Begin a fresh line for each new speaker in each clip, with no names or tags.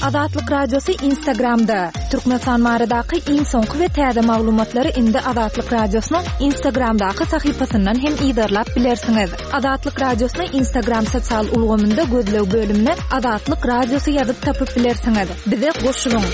Azatlyk Radiosy Instagramda! Türkmenistan baradaky iň soňky we täze maglumatlary indi Azatlyk Radiosynyň Instagramdaky sahypasyndan hem yzarlap bilersiňiz. Azatlyk Radiosyny Instagram sosial ulgamynda gözleg bölümine Azatlyk Radiosy ýazyp tapyp bilersiňiz. Bize goşulyň!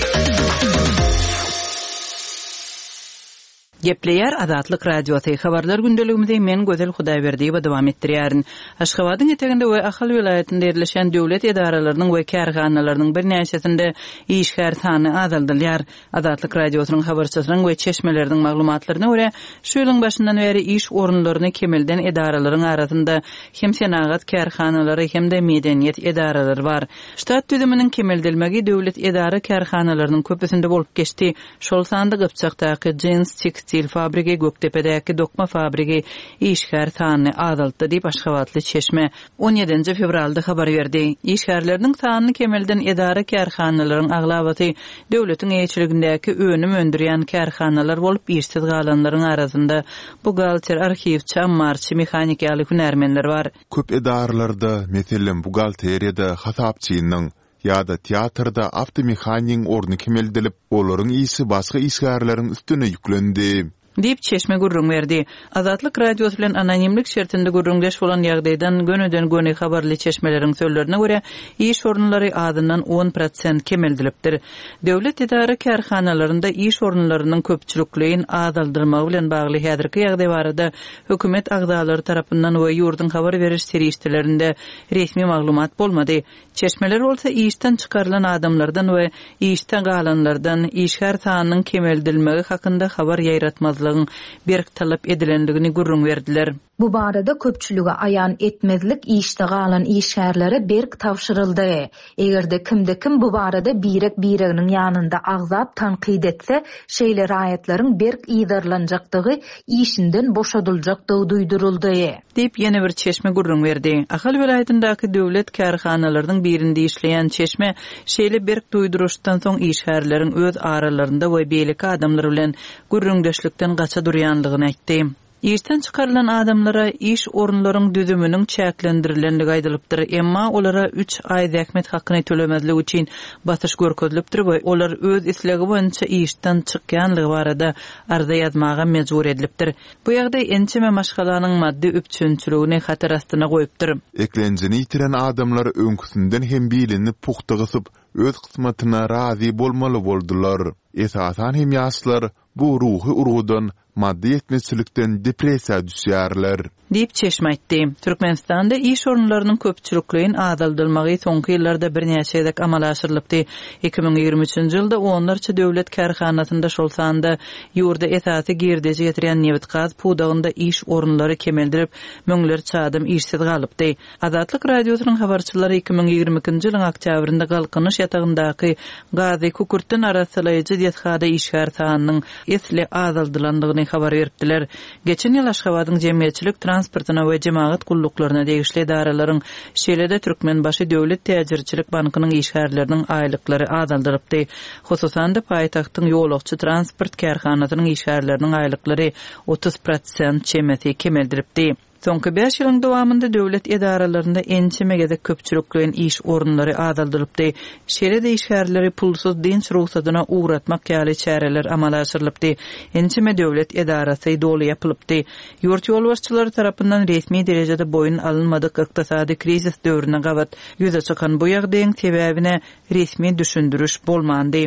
Gepleýär Azatlyk Radiosy, Habarlar gündeligimizi men Gözel Hudaýberdiýewa dowam etdirýärin. Aşgabadyň eteginde we Ahal welaýatynda ýerleşýän döwlet edaralarynyň we kärhanalarynyň birnäçesinde işgär sany azaldylýar. Azatlyk Radiosynyň habarçysynyň we çeşmeleriniň maglumatlaryna görä, şu ýylyň başyndan bäri iş orunlaryny kemelden edaralaryň arasynda hem senagat kärhanalary hem-de medeniýet edaralary bar. Ştat düzüminiň kemeldilmegi döwlet edara-kärhanalarynyň köpüsinde bolup geçdi. Şol sanda Gypjakdaky jins tekstil fabrigi, Gökdepedäki dokma fabrigi işgär sanyny azaltdy diýip, aşgabatly çeşme on ýedinji fewralda habar berdi. Işgärleriniň sanyny kemelden edara-kärhanalaryň aglabasy döwletiň eýeçiligindäki önüm öndürýän kärhanalar bolup, işsiz galanlaryň arasynda buhgalter, arhiwçi, ammarçy, mehanik ýaly hünärmenler bar.
Köp edaralarda, meselem, buhgalteriýada hasapçynyň ýa-da teatrda awtomehanigiň orny kemeldilip, olaryň işi başga işgärleriň üstüne ýüklendi.
Diýip, çeşme gürrüň berdi. Azatlyk Radiosy bilen anonimlik şertinde gürrüňdeş bolan ýagdaýdan gönüden-göni habarly çeşmeleriň sözlerine görä, iş orunlary azyndan on prosent kemeldilipdir. Döwlet edara-kärhanalarynda iş orunlarynyň köpçülikleýin azaldylmagy bilen bagly häzirki ýagdaý barada hökümet agzalary tarapyndan we ýurduň habar beriş serişdelerinde resmi maglumat bolmady. Çeşmeler bolsa işden çykarylan adamlardan we işde galanlardan işgär sanynyň kemeldilmegi hakynda habar ýaýratmazlygyň berk talap edilendigini gürrüň berdiler.
Bu barada köpçülige aýan etmezlik işde galan işgärlere berk tabşyryldy. Eger-de kimde-kim bu barada birek-bireginiň ýanynda agzap tankyt etse, şeýle raýatlaryň berk yzarlanjakdygy, işinden boşadyljakdygy duýduryldy.
Diýip, ýene bir çeşme gürrüň berdi. Ahal welaýatyndaky döwlet kärhanalarynyň birinde işleýän çeşme şeýle berk duýduryşdan soň işgärleriň öz aralarynda we beýleki adamlar bilen gürrüňdeşlikden gaça durýanlygyny aýtdy. Işden çykarylan adamlara iş orunlaryň düzüminiň çäklendirilendigi aýdylypdyr, emma olara üç aý zähmet hakyny tölemezlik üçin basyş görkezilipdir we olar öz islegi boýunça işden çykýanlygy barada arza ýazmaga mejbur edilipdir. Bu ýagdaý ençeme maşgalanyň maddy üpjünçiligini hatar astyna goýupdyr.
Eklenjini ýitiren adamlar öňküsinden hem bilini pugta gysyp, öz kysmatyna razy bolmaly boldular. Esasan hem ýaşlar bu ruhy urgudan, maddy ýetmezçilikden depressiýa düşýärler.
Diýip, çeşme aýtdy. Türkmenistanda iş orunlarynyň köpçülikleýin azaldylmagy soňky ýyllarda birnäçe gezek amala aşyrylypdy. 2023-nji ýylda onlarça döwlet kärhanasynda, şol sanda ýurda esasy girdeji getirýän nebit-gaz pudagynda iş orunlary kemeldilip, müňlerçe adam işsiz galypdy. Azatlyk Radiosynyň habarçylary 2022-nji ýylyň oktýabrynda Galkynyş ýatagyndaky gazy kükürtden arassalaýjy desgada işgär sanynyň esli azaldylandygyny habar beripdiler. Geçen ýyl Aşgabadyň jemgyýetçilik transportyna we jemagat gulluklaryna degişli edaralaryň, şeýle-de Türkmenbaşy döwlet täjirçilik bankynyň işgärleriniň aýlyklary azaldylypdy. Hususan-da, paýtagtyň ýolagçy transport kärhanasynyň işgärleriniň aýlyklary 30 prosent çemesi kemeldilipdi. Soňky bäş ýylyň dowamynda döwlet edaralarynda ençeme gezek köpçülikleýin iş orunlary azaldylypdy. Şeýle-de işgärleri pulsuz dynç rugsadyna ugratmak ýaly çäreler amala aşyrylypdy. Ençeme döwlet edarasy doly ýapylypdy. Ýurt ýolbaşçylary tarapyndan resmi derejede boýun alynmadyk ykdysady krizis döwrüne gabat ýüze çykan bu ýagdaýyň sebäbine resmi düşündiriş bolmandy.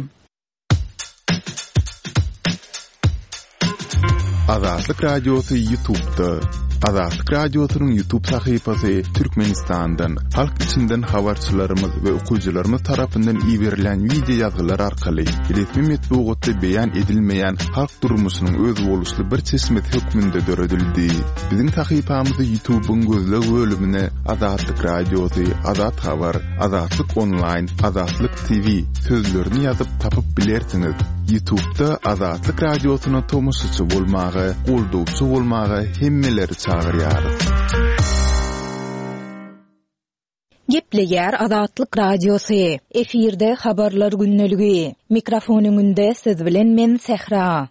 Azatlyk Radiosy Ýutubda. Azatlyk Radiosynyň Ýutub sahypasy Türkmenistandan, halk içinden habarçylarymyz we okyjylarymyz tarapyndan iberilen wideo ýazgylar arkaly resmi metbugatda beýan edilmeýän halk durmuşynyň özboluşly bir çeşmesi hökmünde döredildi. Biziň sahypamyzy Ýutubyň gözleg bölümine Azatlyk Radiosy, Azat Habar, Azatlyk Onlaýn, Azatlyk TV sözlerini ýazyp tapyp bilersiňiz. Ýutubda Azatlyk Radiosyna tomaşaçy bolmaga, goldawçy bolmaga hemmeleri çagyrýarys.
Gepleýär Azatlyk Radiosy. Efirde Habarlar gündeligi. Mikrofon öňünde siz bilen men Sähra.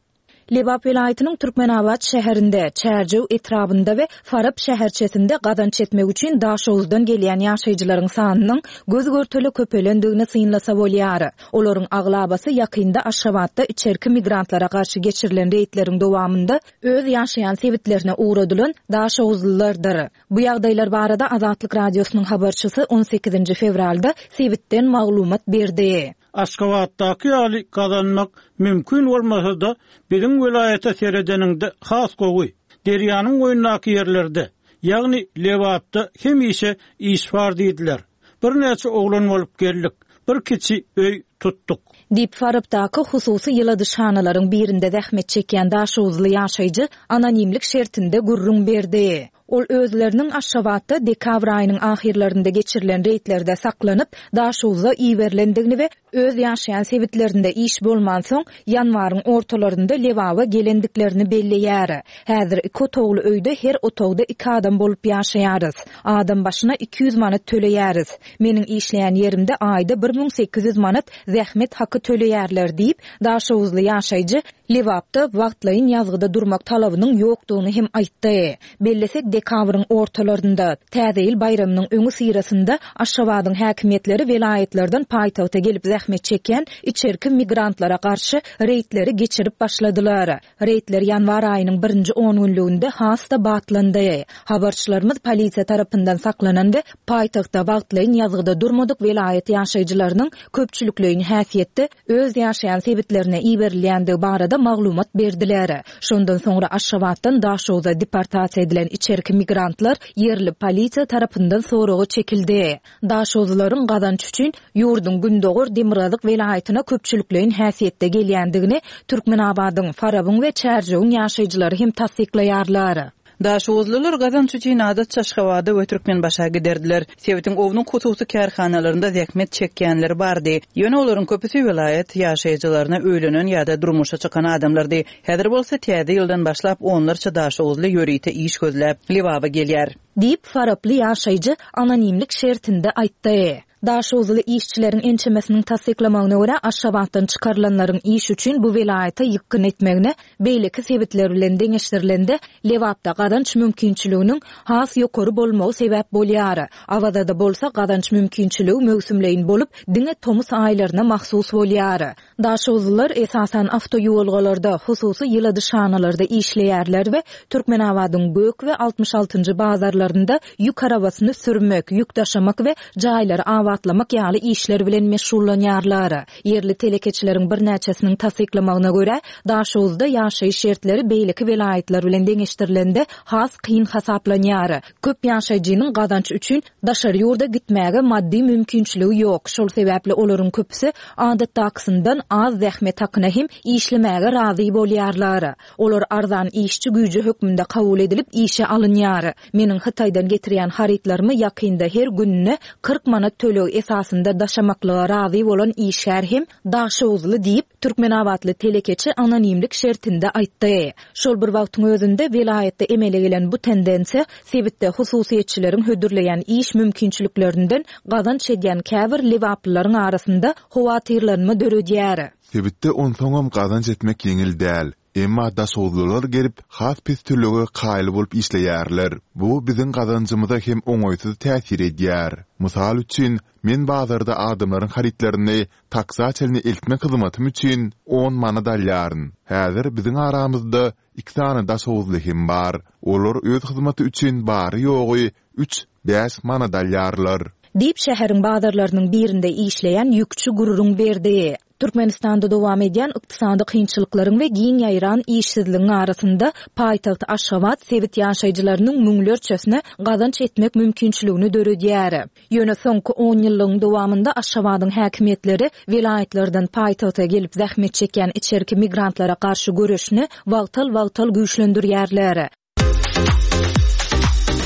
Lebap welaýatynyň Türkmenabat şäherinde, Çärjew etrabynda we Farap şäherçesinde gazanç etmek üçin Daşoguzdan gelýän ýaşaýjylaryň sanynyň göz-görtele köpelendigini synlasa bolýar. Olaryň aglabasy ýakynda Aşgabatda içerki migrantlara garşy geçirilen reýdleriň dowamynda öz ýaşaýan sebitlerine ugradylan daşoguzlylardyr. Bu ýagdaýlar barada Azatlyk Radiosynyň habarçysy on sekizinji fewralda sebitden maglumat berdi.
Aşgabatdaky ýaly gazanmak mümkin bolmasa-da, biziň welaýata seredeniňde has gowy. Derýanyň boýundaky ýerlerde, ýagny Lebapda hemişe iş bar diýdiler. Birnäçe oglan bolup geldik. Bir kiçi öý tutduk.
Diýip, Farapdaky hususy ýyladyşhanalaryň birinde zähmet çekýän daşoguzly ýaşaýjy anonimlik şertinde gürrüň berdi. Ol özleriniň Aşgabatda dekabr aýynyň ahyrlarynda geçirilen reýdlerde saklanyp, Daşoguzda iberilendigini we öz ýaşaýan sebitlerinde iş bolmansoň, ýanwaryň ortalarynda Lebaba gelendiklerini belleýär. Häzir iki otagly öýde her otagda iki adam bolup ýaşaýarys. Adam başyna 200 manat töleýäris. Meniň işleýän ýerimde aýda 1800 manat zähmet haky töleýärler diýip, daşoguzly ýaşaýjy Lebapda wagtlaýyn ýazgyda durmak talabynyň ýokdugyny hem aýtdy. Bellesek, dekabryň ortalarynda, Täze ýyl baýramynyň öňüsyrasynda Aşgabadyň häkimiýetleri welaýatlardan paýtagta gelip zähmet çekýän içerki migrantlara garşy reýdleri geçirip başladylar. Reýdler ýanwar aýynyň birinji ongünlüginde has-da batlandy. Habarçylarymyz polisiýa tarapyndan saklanan we paýtagtda wagtlaýyn ýazgyda durmadyk welaýat ýaşaýjylarynyň köpçülikleýin häsiýetde öz ýaşaýan sebitlerine iberilýändigi barada maglumat berdiler. Şondan soňra Aşgabatdan Daşoguza deportasiýa edilen içerki migrantlar ýerli polisiýa tarapyndan soraga çekildi. Daşoguzlylaryň gazanç üçin ýurduň gündogar-demirgazyk welaýatyna köpçülikleýin häsiýetde gelýändigini Türkmenabadyň, Farabyň we Çärjewiň ýaşaýjylary hem tassyklaýarlar.
Daşoguzlylar gazanç üçin adatça Aşgabada we Türkmenbaşa giderdiler. Sebitiň ownuk hususy kärhanalarynda zähmet çekýänler bardy. Ýöne olaryň köpüsi welaýat ýaşaýjylaryna öýlenen ýa-da durmuşa çykan adamlardy. Häzir bolsa täze ýyldan başlap onlarça daşoguzly ýörite iş gözläp, Lebaba gelýär.
Diýip, faraply ýaşaýjy anonimlik şertinde aýtdy. Daşoguzly işçileriň ençemesiniň tassyklamagyna görä, Aşgabatdan çykarylanlaryň iş üçin bu welaýata ýykgyn etmegine beýleki sebitler bilen deňeşdirilende, Lebapda gazanç mümkinçiliginiň has ýokary bolmagy sebäp bolýar. Awazada bolsa gazanç mümkinçiligi möwsümleýin bolup, diňe tomus aýlaryna mahsus bolýar. Daşoguzlylar esasan awtoýuwalgalarda, hususy ýyladyşhanalarda işleýärler we Türkmenabadyň Gök we 66-njy bazarlarynda ýük arabasyny sürmek, ýük daşamak we jaýlary abatlamak ýaly işler bilen meşgullanýarlar. Ýerli telekeçileriň birnäçesiniň tassyklamagyna görä, Daşoguzda ýaşaýyş şertleri beýleki welaýatlar bilen deňeşdirilende has kyn hasaplanýar. Köp ýaşaýjynyň gazanç üçin daşary ýurda gitmäge maddy mümkinçiligi ýok, şol sebäpli olaryň köpüsi adatdakysyndan az zähmet hakyna hem işlemäge razy bolýarlar. Olar arzan işçi güýji hökmünde kabul edilip işe alynýar. Meniň Hytaýdan getirýän harytlarymy ýakynda her gününe 40 manat töleg esasynda daşamaklyga razy bolan işgär hem daşoguzly diýip, Türkmenabatly telekeçi anonimlik şertinde aýtdy. Şol bir wagtyň özünde, welaýatda emele gelen bu tendensiýa sebitde hususyýetçileriň hödürleýän iş mümkinçiliklerinden gazanç edýän käbir lebaplylaryň arasynda howatyrlanma döredýär.
Sebitde onsoňam gazanç etmek ýeňil däl. Emma daşoguzlylar gelip, has pes tölege kaýyl bolup işleýärler. Bu biziň gazanjymyza hem oňaýsyz täsir edýär. Mysal üçin, men bazarda adamlaryň harytlaryny taksa çenli eltmek hyzmatym üçin on manat alýaryn. Häzir biziň aramyzda iki sany daşoguzly hem bar. Olar öz hyzmaty üçin bary-ýogy üç, bäş manat alýarlar.
Diýip, şäheriň bazarlarynyň birinde işleýän ýükçi gürrüň berdi. Türkmenistanda dowam edýän ykdysady kynçylyklaryň we giň ýaýran işsizligiň arasynda, paýtagt Aşgabat sebit ýaşaýjylarynyň müňlerçesine gazanç etmek mümkinçiligini döredýär. Ýöne soňky onýyllygyň dowamynda Aşgabadyň häkimiýetleri welaýatlardan paýtagta gelip zähmet çekýän içerki migrantlara garşy göreşini wagtal-wagtal güýçlendirýärler.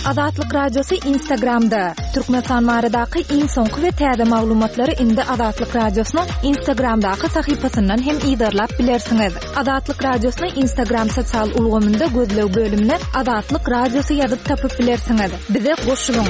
Azatlyk Radiosy Instagramda, Türkmenistan baradaky iň soňky we täze maglumatlary indi Azatlyk Radiosynyň Instagramdaky sahypasyndan hem yzarlap bilersiňiz. Azatlyk Radiosyny Instagram sosial ulgamynda gözleg bölümine Azatlyk Radiosy ýazyp tapyp bilersiňiz. Bize goşulyň!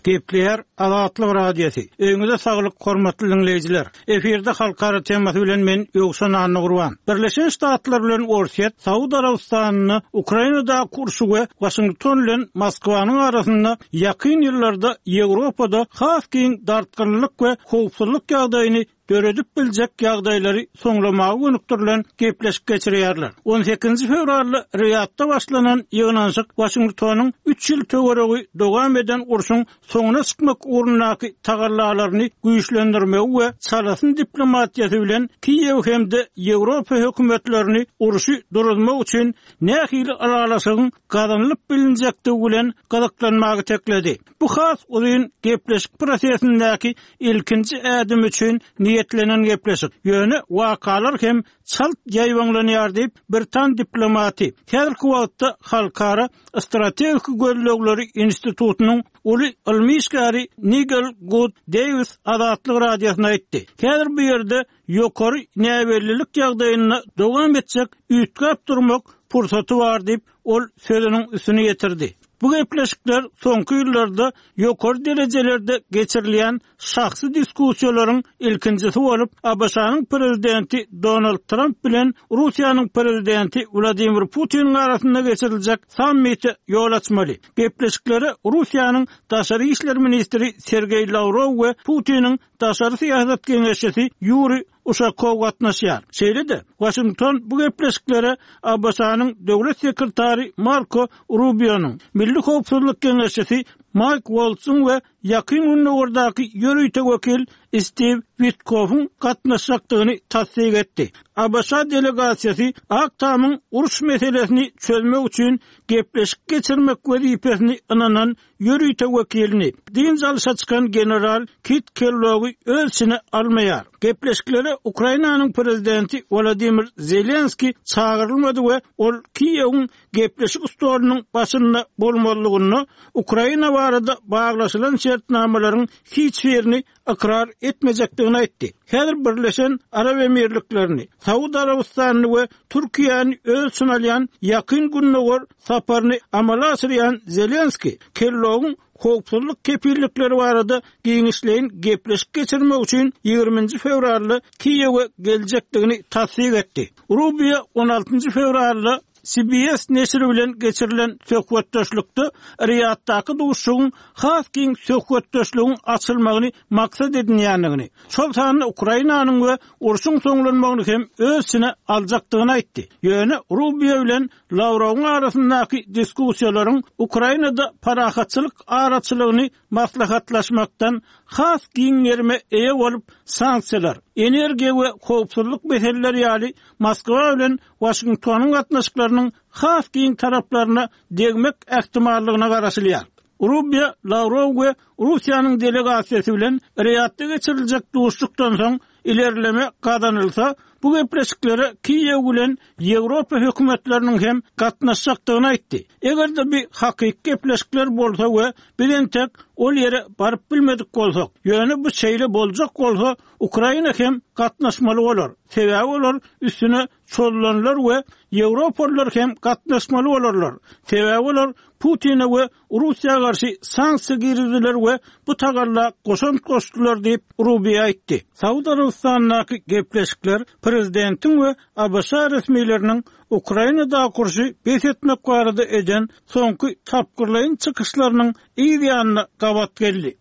Gepleýär Azatlyk Radiosy. Öýüňize saglyk hormatly diňleýjiler. Efirde halkara temasy bilen men Ýowşan Annagurban. Birleşen Ştatlar bilen Orsýet Saud Arabystanynda Ukrainadaky urşy we Waşington bilen Moskwanyň arasynda ýakyn ýyllarda Ýewropada has giň dartgynlylyk we howpsuzlyk ýagdaýyny döredip biljek ýagdaýlary soňlamaga gönükdirilen gepleşik geçirýärler. On sekizinji fewralda Riýadda başlanan ýygnanyşyk Waşingtonyň üç ýyl töweregi dowam eden urşuň soňuna çykmak ugrundaky tagallalaryny güýçlendirmegi we çalasyn diplomatiýasy bilen Kiýew hem-de Ýewropa hökümetlerini urşy duruzmak üçin nähili ylalaşygyň gazanylyp bilinjekdigi bilen gyzyklanmaga itekledi. Bu has uzyn gepleşik prosesindäki ilkinji ädim üçin niýetlenen gepleşik. Ýöne wakalar hem çalt ýaýbaňlanýar diýip, britan diplomaty, häzirki wagtda Halkara strategik gözlegleri institutynyň uly ylmy işgäri Nigel Gud Deýwis Azatlyk Radiosyna aýtdy. Häzir bu ýerde ýokary näbellilik ýagdaýynda dowam etjek üýtgäp durmak pursaty bar diýip, ol sözüniň üstüni ýetirdi. Bu gepleşikler soňky ýyllarda ýokary derejelerde geçirilýän şahsy diskussiýalaryň ilkinjisi bolup, ABŞ-nyň Prezidenti Donald Tramp bilen Russiýanyň Prezidenti Wladimir Putiniň arasynda geçiriljek sammite ýol açmaly. Gepleşiklere Russiýanyň daşary işler ministri Sergeý Lawrow we Putiniň daşary syýasat geňeşçisi Ýuriý Uşakow gatnaşýar. Şeýle-de, Waşington bu gepleşiklere ABŞ-nyň Döwlet sekretary Marko Rubionyň, Milli howpsuzlyk geňeşçisi Maýk Woltzyň we Ýakyn Gündogardaky ýörite wekil Stiw Witkowyň gatnaşjakdygyny tassyk etdi. ABŞ delegasiýasy Ak Tamyň uruş meselesini çözmek üçin gepleşik geçirmek wezipesini ynanan ýörite wekilini, dynç alşa çykan general Kit Kellogy öz içine almaýar. Gepleşiklere Ukrainanyň prezidenti Wolodymyr Zelenskiý çagyrylmady we ol Kiýewiň gepleşik stolunyň başynda bolmazlygynda Ukraina barada baglaşylan şertnamalaryň hiç birini ykrar etmejekdigini aýtdy. Häzir Birleşen Arap Emirliklerini, Saud Arabystanyny we Türkiýäni öz içine alýan Ýakyn Gündogar saparyny amala aşyrýan Zelenskiý Kellogyň howpsuzlyk kepillikleri barada giňişleýin gepleşik geçirmek üçin ýigriminji fewralda Kiýewe geljekdigini tassyk etdi. Rubio on altynjy fewralda CBS neşiri bilen geçirilen söhbetdeşlikde Riýaddaky duşuşygyň has giň söhbetdeşligiň açylmagyny maksat edinýändigini, şol sanda Ukrainanyň we urşuň soňlanmagyny hem öz içine aljakdygyny aýtdy. Ýöne Rubio bilen Lawrowyň arasyndaky diskussiýalaryň Ukrainada parahatçylyk araçylygyny maslahatlaşmakdan has giň gerime eýe bolup, sanksiýalar, energiýa we howpsuzlyk meseleleri ýaly Moskwa bilen Waşingtonyň gatnaşyklarynyň has giň taraplaryna degmek ähtimallygyna garaşylýar. Rubio Lawrow we Russiýanyň delegasiýasy bilen Riýadda geçiriljek duşuşykdan soň ilerleme gazanylsa, bu gepleşiklere Kiýew bilen Ýewropa hökümetleriniň hem gatnaşjakdygyny aýtdy. Eger-de bu hakyky gepleşikler bolsa we biz entek ol ýere baryp bilmedik bolsak, ýöne bu şeýle boljak bolsa, Ukraina hem gatnaşmaly bolar, sebäbi olar üstüne çozulanlar we ýewropalylar hem gatnaşmaly bolarlar, sebäbi olar Putine we Russiýa garşy sanksiýa girizdiler we bu tagalla goşant goşdular diýip, Rubio aýtdy. Saud Arabystanyndaky gepleşikler prezidentiň we ABŞ resmileriniň Ukrainadaky urşy bes etmek barada eden soňky tapgyrlaýyn çykyşlarynyň yz ýanyna gabat geldi.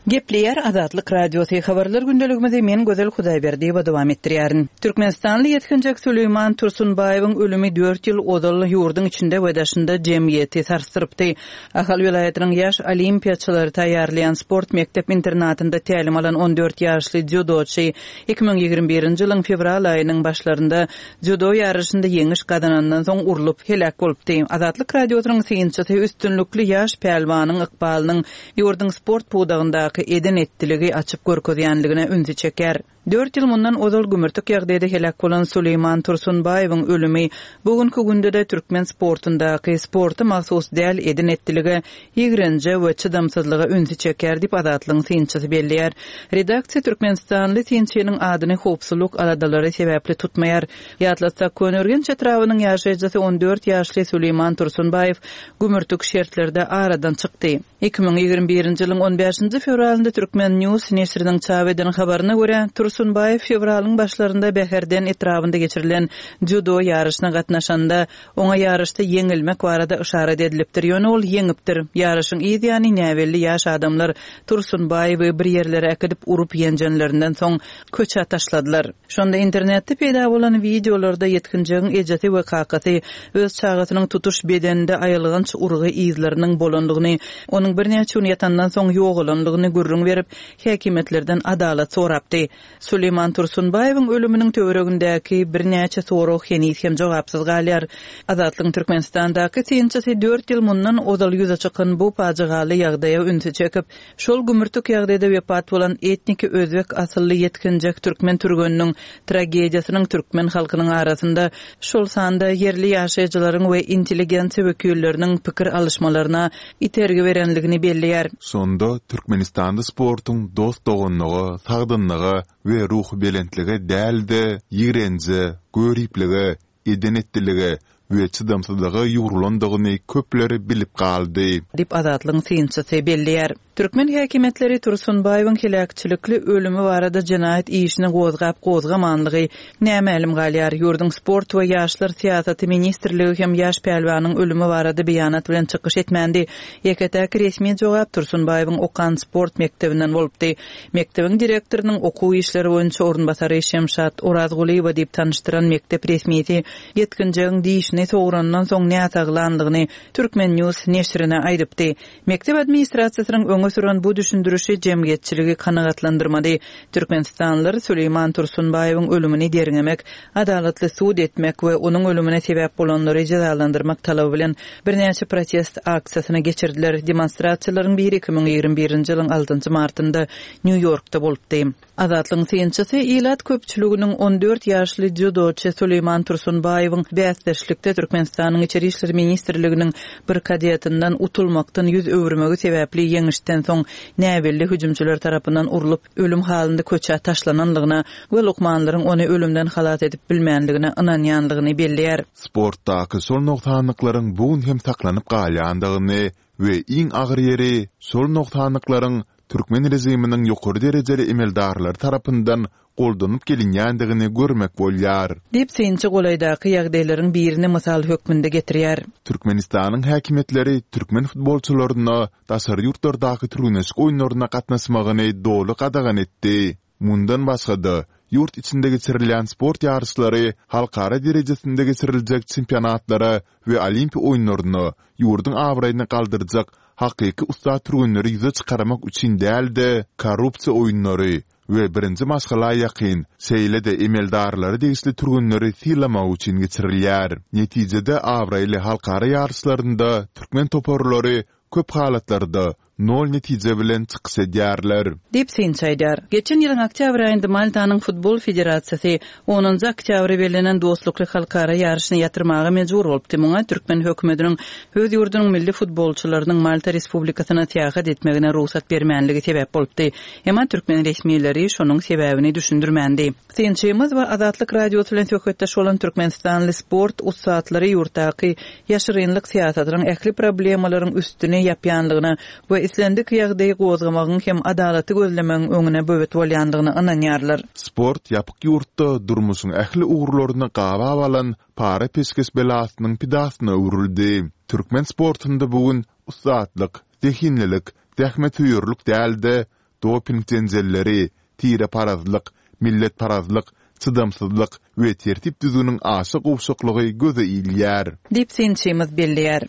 Gepleýär Azatlyk Radiosy, Habarlar gündeligimizi men Gözel Hudaýberdiýewa dowam etdirýärin. Türkmenistanly ýetginjek Süleýman Tursunbaýewiň ölümi dört ýyl ozal ýurduň içinde we daşynda jemgyýeti sarsdyrypdy. Ahal welaýatynyň ýaş olimpiýaçylary taýýarlaýan sport mekdep-internatynda tälim alan 14 ýaşly dzýudoçy 2021-nji ýylyň fewral aýynyň başlarynda Dzýudo ýaryşynda ýeňiş gazanandan soň urlup, heläk bolupdy. Azatlyk Radiosynyň synçysy üstünlikli ýaş pälwanyň ykbalynyň ýurduň sport pudagyndaky eden-etdiligi açyp görkezýänligine ünsi çekýär. Dört ýyl mundan ozal gümürtik ýagdaýda heläk bolan Suleýman Tursunbaýewiň ölümi bu günki günde-de türkmen sportundaky sporta mahsus däl eden-etdilige, ýigrenje we çydamsyzlyga ünsi çekýär diýip, Azatlygyň synçysy belleýär. Redaksiýa türkmenistanly synçynyň adyny howpsuzlyk aladalary sebäpli tutmaýar. Ýatlatsak, Köneürgenç etrabynyň ýaşaýjysy 14 ýaşly Suleýman Tursunbaýew gümürtik şertlerde aradan çykdy. 2021-nji ýylyň on bäşinji fewralynda Turkmen. News neşiriniň çap eden habaryna görä, Tursunbaýew fewralyň başlarynda Bäherden etrabynda geçirilen dzýudo ýaryşyna gatnaşanda, oňa ýaryşda ýeňilmek barada yşarat edilipdir, ýöne ol ýeňipdir. Ýaryşyň yz ýany näbelli ýaş adamlar Tursunbaýewi bir ýerlere äkidip urup-ýenjenlerinden soň, köçä taşladylar. Şonda internetde peýda bolan wideolarda ýetginjegiň ejesi we kakasy öz çagasynyň tutuş bedeninde aýylganç urgy yzlarynyň bolandygyny, onuň birnäçe gün ýatandan soň ýogalandygyny gürrüň berip, häkimiýetlerden adalat sorapdy. Suleýman Tursunbaýewiň ölüminiň töweregindäki birnäçe sorag heniz hem jogapsyz galýar. Azatlygyň Türkmenistandaky synçysy dört ýyl mundan ozal ýüze çykan bu pajygaly ýagdaýa ünsi çekip, Şol gümürtik ýagdaýda wepat bolan etniki özbek asylly ýetginjek türkmen türgeniniň tragediýasynyň türkmen halkynyň arasynda, şol sanda ýerli ýaşaýjylaryň we intelligensiýa wekilleriniň pikir alyşmalaryna itergi berenligini belleýär.
Şonda Türkmenistanda sportuň dost-doganlyga, sagdynlyga we ruhubelentlige däl-de, ýigrenje, göriplige, eden-etdilige we çydamsyzlyga ýugrulandygyny köpler bilip galdy.
Diýip, Azatlygyň synçysy belleýär. Türkmen häkimiýetleri Tursunbaýewiň heläkçilikli ölümi barada jenaýat işini gozgap-gozgamanlygy nämälim galýar. Ýurduň Sport we ýaşlar syýasaty ministrligi hem ýaş pälwanyň ölümi barada beýanat bilen çykyş etmändi. Ýeke-täk resmi jogap Tursunbaýewiň okan sport mekdebinden bolupdy. Mekdebiň direktorynyň okuw işleri boýunça orunbasary Şemşat Orazgulyýewa diýip tanyşdyran mekdep resmisi ýetginjegiň dişini sograndan soň näsaglandygyny Turkmen. News neşirine aýdypdy. Mekdep administrasiýasynyň öňe süren bu düşündirişi jemgyýetçiligi kanagatlandyrmady. Türkmenistanlylar Süleýman Tursunbaýewiň ölümini derňemek, adalatly sud etmek we onuň ölümine sebäp bolanlary jezalandyrmak talaby bilen birnäçe protest aksiýasyny geçirdiler. Demonstrasiýalaryň biri 2021-nji ýylyň altynjy martynda Nýu-Ýorkda bolupdy. Azatlygyň synçysy ilat köpçüliginiň 14 ýaşly dzýudoçy Suleýman Tursunbaýewiň bäsdeşlikde Türkmenistanyň Içeri işler ministrliginiň bir kadetinden utulmakdan ýüz öwürmegi sebäpli ýeňişden soň näbelli hüjümçiler tarapyndan urlup, ölüm halynda köçä taşlananlygyna we lukmanlaryň ony ölümden halas edip bilmänligine ynanýanlygyny belleýär.
Sportdaky şol nogsanlyklaryň bu gün hem saklanyp galýandygyny we iň agyr ýeri, şol nogsanlyklaryň türkmen režiminiň ýokary derejeli emeldarlary tarapyndan goldanyp gelinýändigini görmek bolýar.
Diýip, synçy golaýdaky ýagdaýlaryň birini mysal hökmünde getirýär.
Türkmenistanyň häkimiýetleri türkmen futbolçylaryna daşary ýurtlardaky türgenleşik oýunlaryna gatnaşmagyny doly gadagan etdi. Mundan başga-da, ýurt içinde geçirilýän sport ýaryşlary halkara derejesinde geçiriljek çempionatlara we Olimpiýa oýunlaryna ýurduň abraýyny galdyrjak hakyky ussat türgenleri ýüze çykarmak üçin däl-de, korrupsiýa oýunlary we birinji maşgala ýakyn, şeýle-de emeldarlara degişli türgenleri sylamak üçin geçirilýär. Netijede abraýly halkara ýaryşlarynda türkmen toparlary köp halatlarda nol netije bilen çykyş edýärler.
Diýip, synçy aýdýar. Geçen ýylyň oktýabr aýynda Maltanyň futbol federasiýasy onunjy oktýabra bellenen dostlukly halkara ýaryşyny ýatyrmaga mejbur bolupdy. Muňa türkmen hökümetiniň öz ýurdunyň milli futbolçylarynyň Malta Respublikasyna syýahat etmegine rugsat bermänligi sebäp bolupdy. Emma türkmen resmileri şonuň sebäbini düşündirmändi. Synçymyz we Azatlyk Radiosy bilen söhbetdeş bolan türkmenistanly sport ussatlary ýurtdaky ýaşyrynlyk syýasatynyň ähli problemalaryň üstüni ýapýanlygyna we islendik ýagdaýy gozgamagyň hem adalaty gözlemegiň öňüne böwet bolýandygyna ynanýarlar.
Sport ýapyk ýurtda durmuşyň ähli ugurlaryny gabap alan para-peşgeş belasynyň pidasyna öwrüldi. Türkmen sportunda bu gün ussatlyk, zehinlilik, zähmetsöýerlik däl-de, doping jenjelleri, tireparazlyk, milletparazlyk, çydamsyzlyk we tertip-düzgüniň aşa gowşaklygy göze ilýär.
Diýip, synçymyz belleýär.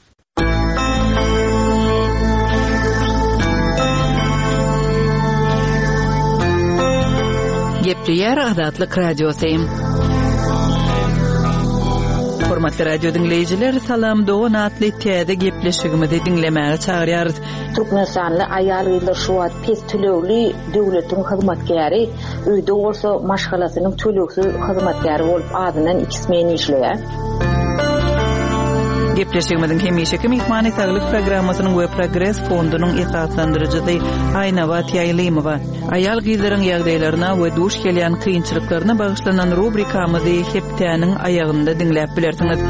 Gepleýär Azatlyk Radiosy. Hormatly radio diňleýjiler, Salam dogan atly täze gepleşigimizi diňlemäge çagyrýarys.
Türkmenistanly aýal-gyzlar şu wagt pes tölegli döwletiň hyzmatkäri, öýde bolsa maşgalasynyň tölegsiz hyzmatkäri bolup azyndan iki smen işleýär.
Gepleşigimiziň hemişeki myhmany Saglyk programmasynyň we Progres fondunyň esaslandyryjysy Aýnabat Ýaýlymowa. Aýal-gyzlaryň ýagdaýlaryna we duş gelýän kynçylyklaryna bagyşlanan rubrikamyzy hepdäniň aýagynda diňläp bilersiňiz.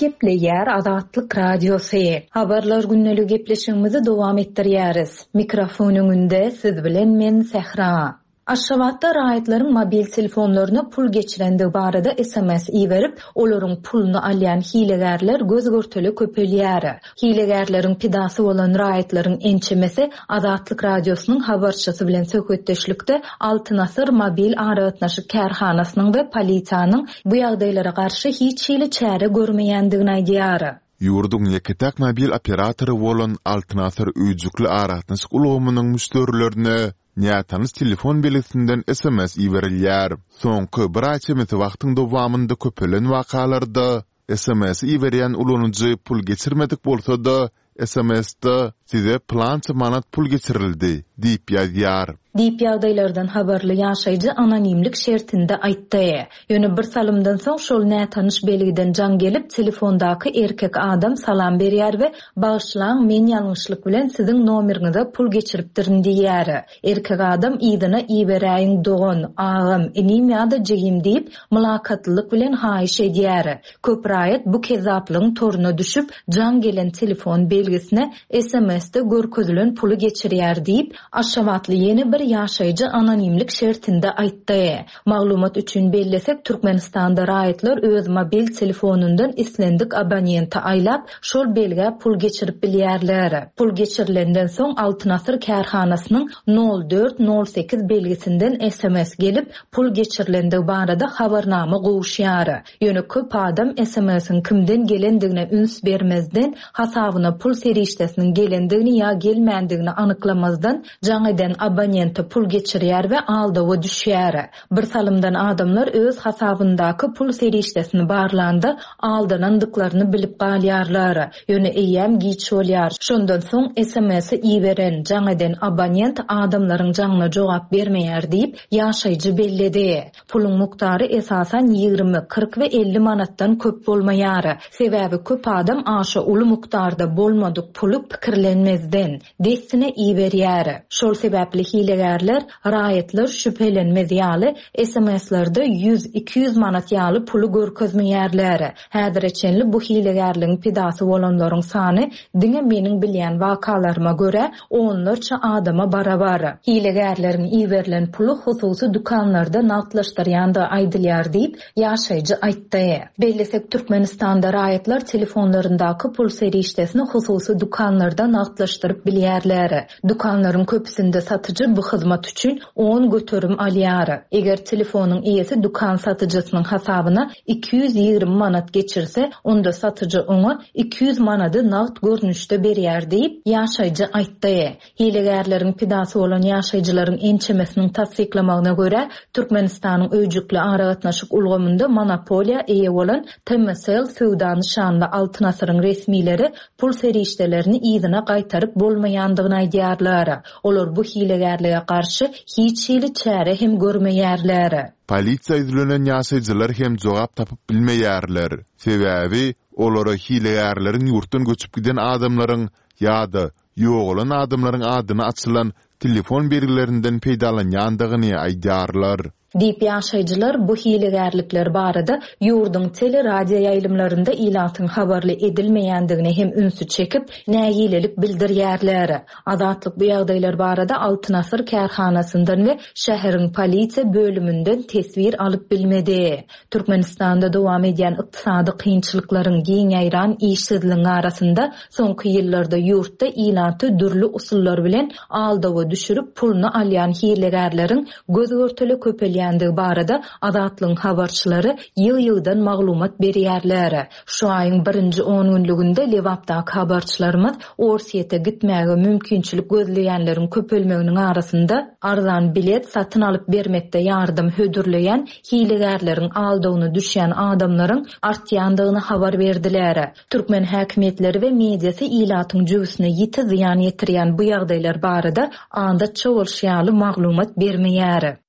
Gepleýär Azatlyk Radiosy. Habarlar gündeligi gepleşigimizi dowam etdirýäris. Mikrofon öňünde siz bilen men Sähra. Aşgabatda raýatlaryň mobil telefonlaryna pul geçirendigi barada sms iberip, olaryň puluny alýan hilegärler göz-görtele köpelýär. Hilegärleriň pidasy bolan raýatlaryň ençemesi Azatlyk Radiosynyň habarçysy bilen söhbetdeşlikde Altyn asyr mobil aragatnaşyk kärhanasynyň we polisiýanyň bu ýagdaýlara garşy hiç hili çäre görmeýändigini aýdýar.
Ýurduň ýeke-täk mobil operatory bolan Altyn asyr öýjükli aragatnaşyk ulgamynyň müşderilerine Nätanyş telefon belgisinden sms iberilýär. Soňky bir aý çemesi wagtyň dowamynda köpelen wakalarda sms iberýän ulanyjy pul geçirmedik bolsa-da, sms-de Size pylança manat pul geçirildi diýip ýazýar.
Diýip, ýagdaýlardan habarly ýaşaýjy anonimlik şertinde aýtdy. Ýöne bir salymdan soň şol nätanyş belgiden jaň gelip, telefondaky erkek adam salam berýär we Bagyşlaň, men ýalňyşlyk bilen siziň nomeriňize pul geçiripdirin diýýär. Erkek adam yzyna iberäýiň dogan, agam, inim ýa-da jigim diýip, mylakatlylyk bilen haýyş edýär. Köp raýat bu kezzaplygyň toruna düşüp, jaň gelen telefon belgisine SMS-de görkezilen puly geçirýär diýip, aşgabatly ýene bir ýaşaýjy anonimlik şertinde aýtdy. Maglumat üçin bellesek, Türkmenistanda raýatlar öz mobil telefonyndan islendik abonente aýlap, şol belgä pul geçirip bilýärler. Pul geçirilenden soň Altyn Asyr kärhanasynyň nol dört nol sekiz belgisinden sms gelip, pul geçirilendigi barada habarnama gowuşýar. Ýöne köp adam sms-iň kimden gelendigine üns bermezden, hasabyna pul serişdesiniň gelendigini ýa gelmändigini anyklamazdan, jaň eden abonente pul geçirýär we aldawa düşýär. Bir salymdan adamlar öz hasabyndaky pul serişdesini barlanda, aldanandyklaryny bilip galýarlar. Ýöne eýýäm giç bolýar. Şondan soň sms-i iberen, jaň eden abonent adamlaryň jaňyna jogap bermeýär diýip, ýaşaýjy belledi. Puluň mukdary esasan 20, 40 we 50 manatdan köp bolmaýar. Sebäbi köp adam aşa uly mukdarda bolmadyk puly pikirlenmezden, dessine iberýär. Şol sebäpli hilegärler raýatlar şübhelenmez ýaly SMS-lerde ýüz, 200 manat ýaly puly görkezmeýärler. Häzire çenli bu hilegärligiň pidasy bolanlaryň sany diňe meniň bilýän wakalaryma görä, onlarça adama barabar. Hilegärleriň iberilen puly hususy dükanlarda nagtlaşdyrýandygy aýdylýar diýip, ýaşaýjy aýtdy. Bellesek, Türkmenistanda raýatlar telefonlaryndaky pul serişdesini hususy dükanlarda nagtlaşdyryp bilýärler. Dükanlaryň köpüsinde satyjy bu hyzmat üçin 10% alýar. Eger telefonyň eýesi dükan satyjysynyň hasabyna 220 manat geçirse, onda satyjy oňa 200 manady nagt görnüşde berýär diýip, ýaşaýjy aýtdy. Hilegärleriň pidasy bolan ýaşaýjylaryň ençemesiniň tassyklamagyna görä, Türkmenistanyň öýjükli aragatnaşyk ulgamynda monopoliýa eýe bolan TMSL söwda nyşanly Altyn asyryň resmileri pul serişdelerini yzyna gaýtaryp bolmaýandygyny aýdýarlar. Olar bu hilegärlige garşy hiç hili çäre hem görmeýärler.
Polisiýa ýüzlenen ýaşaýjylar hem jogap tapyp bilmeýärler. Sebäbi, olara hilegärleriň ýurtdan göçüp giden adamlaryň ýa-da ýogalan adamlaryň adyna açylan telefon belgilerinden peýdalanýandygyny aýdýarlar.
Diýip, ýaşaýjylar bu hilegärlikler barada ýurduň teleradioýaýlymlarynda ilatyň habarly edilmeýändigine hem ünsi çekip, nägilelik bildirýärler. Azatlyk bu ýagdaýlar barada Altyn asyr kärhanasyndan we şäheriň polisiýa bölüminden teswir alyp bilmedi. Türkmenistanda dowam edýän ykdysady kynçylyklaryň, giň ýaýran işsizligiň arasynda soňky ýyllarda ýurtda ilaty dürli usullar bilen aldawa düşürip puluny alýan hilegärleriň göz-görtele köpelýändigini. köpelýändigi barada Azatlygyň habarçylary ýygy-ýygydan maglumat berýärler. Şu aýyň birinji ongünlüginde Lebapdaky habarçylarymyz Orsýete gitmäge mümkinçilik gözleýänleriň köpelmeginiň arasynda, arzan bilet satyn alyp bermekde ýardam hödürleýän hilegärleriň aldawyna düşýän adamlaryň artýandygyny habar berdiler. Türkmen häkimiýetleri we mediasy ilatyň jübüsine ýiti zyýan ýetirýän bu ýagdaýlar barada adatça bolşy ýaly maglumat bermeýär.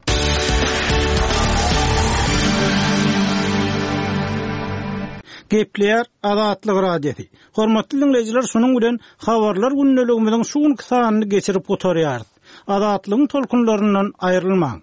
Gepleýär Azatlyk Radiosy. Hormatly diňleýjiler şunuň bilen Habarlar gündeligimiziň şu günki sanyny geçirip gutarýarys. Azatlygyň tolkunlaryndan aýrylmaň.